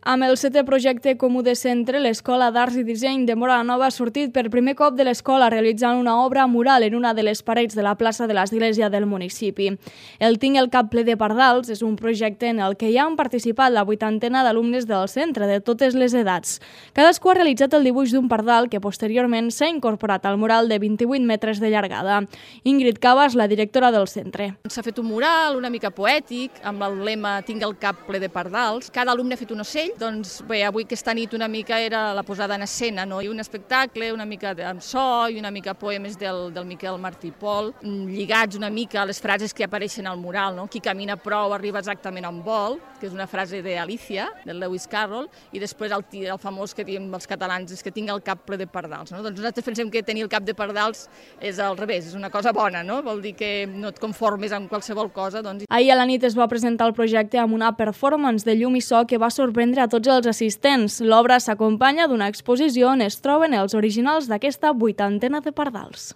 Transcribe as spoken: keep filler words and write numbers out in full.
Amb el setè projecte comú de centre, l'Escola d'Arts i Disseny de Móra la Nova ha sortit per primer cop de l'escola realitzant una obra mural en una de les parets de la plaça de l'església del municipi. El Tinc el cap ple de pardals és un projecte en el que ja han participat la vuitantena d'alumnes del centre de totes les edats. Cadascú ha realitzat el dibuix d'un pardal que posteriorment s'ha incorporat al mural de vint-i-vuit metres de llargada. Ingrid Cabas, la directora del centre. S'ha fet un mural una mica poètic amb el lema Tinc el cap ple de pardals. Cada alumne ha fet un ocell. Doncs bé, avui aquesta nit una mica era la posada en escena, no? I un espectacle, una mica amb so i una mica poemes del, del Miquel Martí i Pol, lligats una mica a les frases que apareixen al mural, no? Qui camina prou arriba exactament on vol, que és una frase d'Alicia, del Lewis Carroll, i després el, el famós que diem els catalans és que tinc el cap ple de pardals, no? Doncs nosaltres pensem que tenir el cap de pardals és al revés, és una cosa bona, no? Vol dir que no et conformes amb qualsevol cosa, doncs. Ahir a la nit es va presentar el projecte amb una performance de llum i so que va sorprendre a tots els assistents. L'obra s'acompanya d'una exposició on es troben els originals d'aquesta vuitantena de pardals.